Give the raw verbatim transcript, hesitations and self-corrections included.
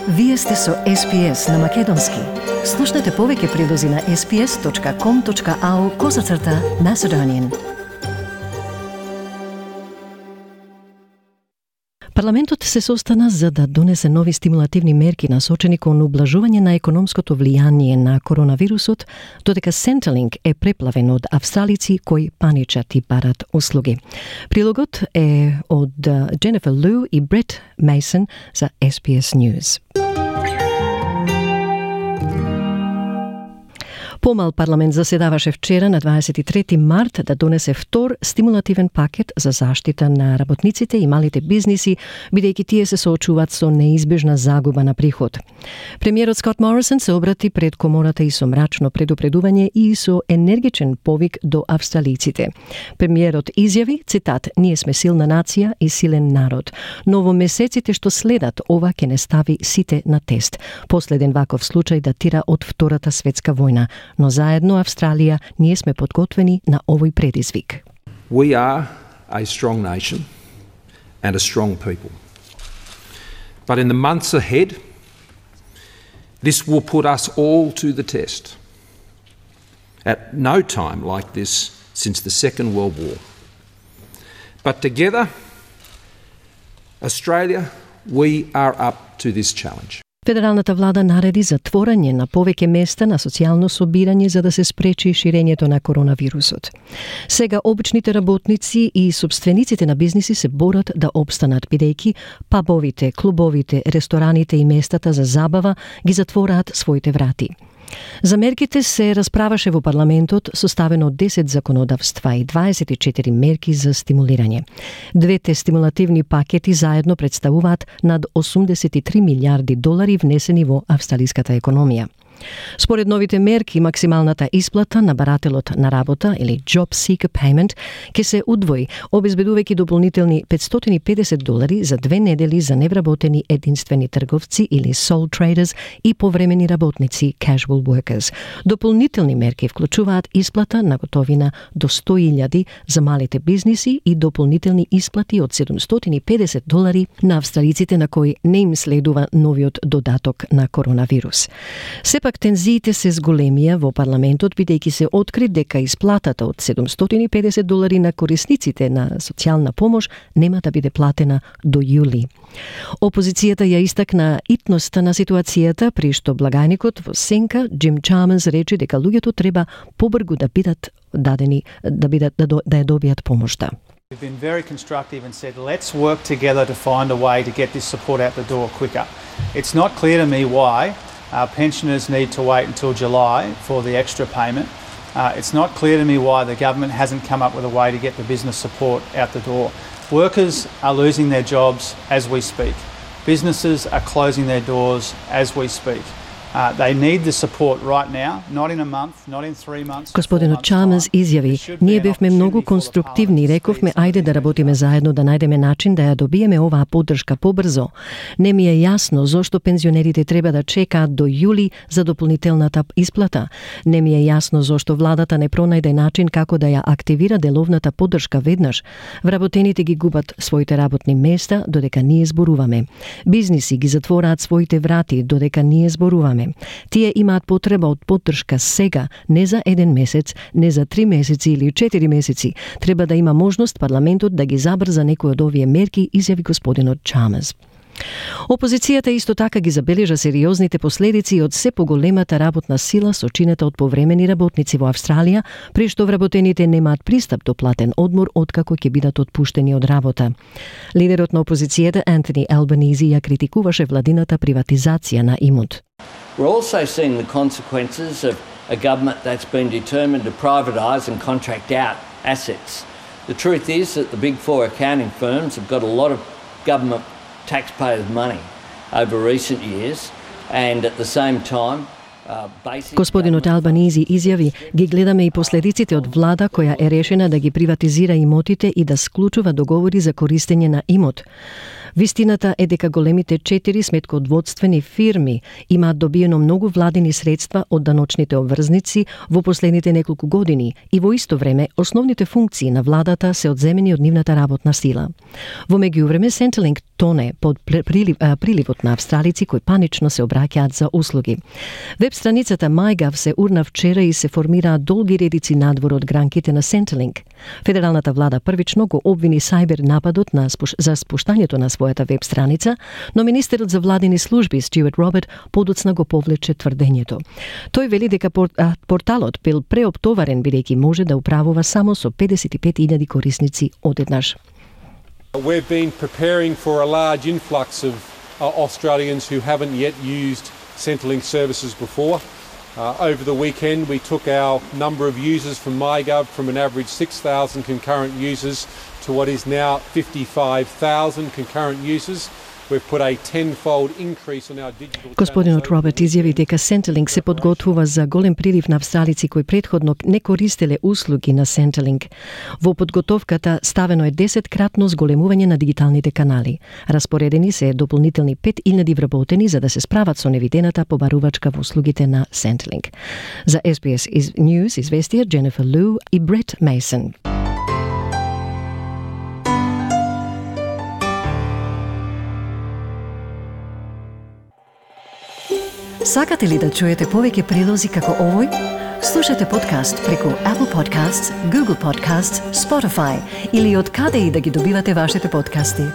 Вие сте со Ес Би Ес на Македонски. Слушнете повеќе прилози на ес би ес точка ком точка ау козацрта Macedonian. Парламентот се состана за да донесе нови стимулативни мерки насочени кон ублажување на економското влијание на коронавирусот, додека Centrelink е преплавен од австралици кои паничат и барат услуги. Прилогот е од Дженефер Лу и Брет Мейсон за Ес Би Ес News. Помал парламент заседаваше вчера на дваесет и трети март да донесе втор стимулативен пакет за заштита на работниците и малите бизниси, бидејќи тие се соочуваат со неизбежна загуба на приход. Премиерот Скот Морисон се обрати пред комората и со мрачно предупредување и со енергичен повик до австралиците. Премиерот изјави, цитат, "Ние сме силна нација и силен народ, но во месеците што следат ова ќе не стави сите на тест. Последен ваков случај датира од Втората светска војна. Но заедно Австралија ние сме подготвени на овој предизвик." We are a strong nation and a strong people. But in the months ahead, this will put us all to the test. At no time like this since the Second World War. But together, Australia, we are up to this challenge. Федералната влада нареди затворање на повеќе места на социјално собирање за да се спречи ширењето на коронавирусот. Сега обичните работници и собствениците на бизниси се борат да опстанат, бидејќи пабовите, клубовите, рестораните и местата за забава ги затвораат своите врати. За мерките се расправаше во парламентот, составено од десет законодавства и дваесет и четири мерки за стимулирање. Двете стимулативни пакети заедно представуваат над осумдесет и три милиарди долари внесени во австралиската економија. Според новите мерки, максималната исплата на барателот на работа или Job Seeker Payment ќе се удвои, обезбедувајќи дополнителни петстотини и педесет долари за две недели за невработени единствени трговци или sole traders и повремени работници casual workers. Дополнителни мерки вклучуваат исплата на готовина до сто илјади за малите бизниси и дополнителни исплати од седумстотини и педесет долари на австралиците на кои не им следува новиот додаток на коронавирус. Сепак тензиите се зголемија во парламентот, бидејќи се откри дека исплатата од седумстотини и педесет долари на корисниците на социјална помош нема да биде платена до јули. Опозицијата ја истакна итноста на ситуацијата, при што благајникот во сенка Джим Чалмерс рече дека луѓето треба побрзо да бидат дадени да бидат да, да ја добијат помошта. We've been very constructive and said, let's work together to find a way to get this support out the door quicker. It's not clear to me why uh, pensioners need to wait until July for the extra payment. Uh, it's not clear to me why the government hasn't come up with a way to get the business support out the door. Workers are losing their jobs as we speak. Businesses are closing their doors as we speak. Uh, they need the support right now, not in a month, not in three months. Господинот Чалмерс изјави, ние бевме многу конструктивни и рековме ајде да работиме заедно да најдеме начин да ја добиеме оваа поддршка побрзо. Не ми е јасно зошто пензионерите треба да чекаат до јули за дополнителната исплата. Не ми е јасно зошто владата не пронајде начин како да ја активира деловната поддршка веднаш. Вработените ги губат своите работни места додека ние зборуваме. Бизниси ги затвораат своите врати додека ние зборуваме. Тие имаат потреба од поддршка сега, не за еден месец, не за три месеци или четири месеци. Треба да има можност парламентот да ги забрза некои од овие мерки, изјави господинот Чалмерс. Опозицијата исто така ги забележа сериозните последици од се поголемата работна сила сочинета од повремени работници во Австралија, при што вработените немаат пристап до платен одмор откако ќе бидат отпуштени од работа. Лидерот на опозицијата Антони Албанизи ја критикуваше владината приватизација на имот. We're also seeing the consequences of a government that's been determined to privatise and contract out assets. The truth is that the big four accounting firms have got a lot of government taxpayers' money over recent years, and at the same time, uh, Господинот Албанизи изјави, ги гледаме и последиците од влада која е решена да ги приватизира имотите и да склучува договори за користење на имот. Вистината е дека големите четири сметкоодводствени фирми имаат добиено многу владини средства од даночните обврзници во последните неколку години и во исто време основните функции на владата се одземени од нивната работна сила. Во меѓувреме Centrelink тоне под прилив, а, приливот на австралици кои панично се обраќаат за услуги. Веб страницата MyGov се урна вчера и се формираат долги редици надвор од гранките на Centrelink. Федералната влада првично го обвини сайбер нападот на спуш... за спуштањето на својата веб страница, но министерот за владини служби Стюарт Роберт подоцна го повлече тврдењето. Тој вели дека порталот бил преоптоварен бидејќи може да управува само со педесет и пет илјади корисници одеднаш. We've been preparing for a large influx of uh, Australians who haven't yet used Centrelink services before. Uh, over the weekend, we took our number of users from MyGov from an average six thousand concurrent users to what is now fifty-five thousand concurrent users. We've put a tenfold increase on our digital. Господинот Роберт изјави дека Centrelink се подготвува за голем прилив на австралици кои претходно не користеле услуги на Centrelink. Во подготовката ставено е десеткратно зголемување на дигиталните канали. Распоредени се дополнителни пет илјади вработени за да се справат со невидената побарувачка во услугите на Centrelink. За Ес Би Ес News известија Дженефер Лу и Брет Мейсон. Сакате ли да чуете повеќе прилози како овој? Слушате подкаст преку Apple Podcasts, Google Podcasts, Spotify или од каде и да ги добивате вашите подкасти.